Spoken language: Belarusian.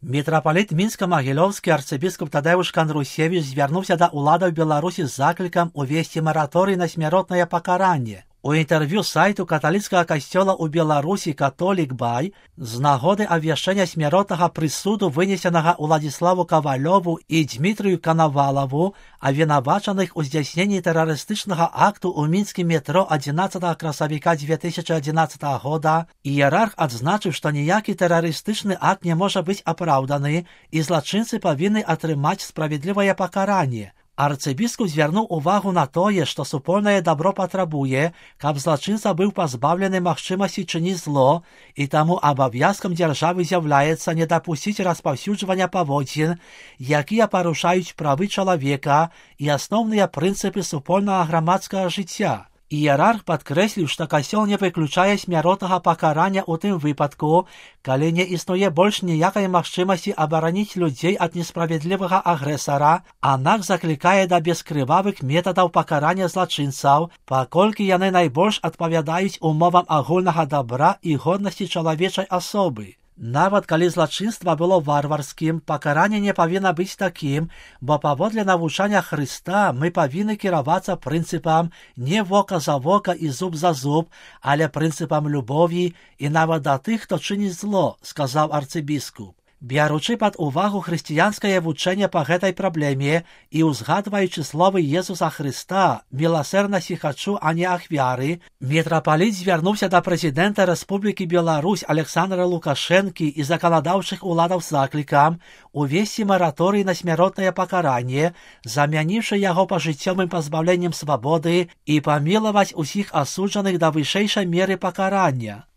Мітрапаліт мінська-магілёўскі арцыбіскуп Тадеуш Канрусевіч звярнуўся да ўладаў Беларусі з заклікам увесці мараторый на смяротнае пакаранне. У інтэрв'ю сайту каталіцкага касцёла ў Беларусі «Католік Бай» з нагоды абвяшчэння смяротнага прысуду, вынесенага Уладзіславу Кавалёву і Дмітрыю Канавалаву, абвінавачаных у здзяйсненні тэрарыстычнага акту ў мінскім метро 11 красавіка 2011 года, іерарх адзначыў, што ніякі тэрарыстычны акт не можа быць апраўданы і злачынцы павінны атрымаць справядлівае пакаранне. Арцыбіскуп звярнуў увагу на тое, што супольнае дабро патрабуе, каб злачынца быў пазбаўлены магчымасці чыніць зло, і таму абавязкам дзяржавы з'яўляецца не дапусціць распаўсюджвання паводзін, якія парушаюць правы чалавека і асноўныя прынцыпы супольнага грамадскага жыцця. Іерарх падкрэсліў, што касцёл не выключае смяротнага пакарання ў тым выпадку, калі не існуе больш ніякай магчымасці абараніць людзей ад несправядлівага агрэсара, аднак заклікае да бескрывавых метадаў пакарання злачынцаў, паколькі яны найбольш адпавядаюць умовам агульнага дабра і годнасці чалавечай асобы. Нават калі злачынства было варварскім, пакаранне не павінна быць такім, бо паводле навучання Хрыста мы павінны кіравацца прынцыпам не вока за вока і зуб за зуб, але прынцыпам любові і нават да тых, хто чыніць зло, сказаў арцыбіскуп. Бяручы пад увагу хрысціянскае вучэнне па гэтай праблеме і ўзгадваючы словы Езуса Хрыста «Міласэрнасці хачу, а не ахвяры», мітрапаліт звярнуўся да прэзідэнта Рэспублікі Беларусь Александра Лукашэнкі і заканадаўчых уладаў з заклікам увесці мараторый на смяротнае пакаранне, замяніўшы яго пажыццёвым пазбаўленнем свабоды і памілаваць усіх асуджаных да вышэйшай меры пакарання.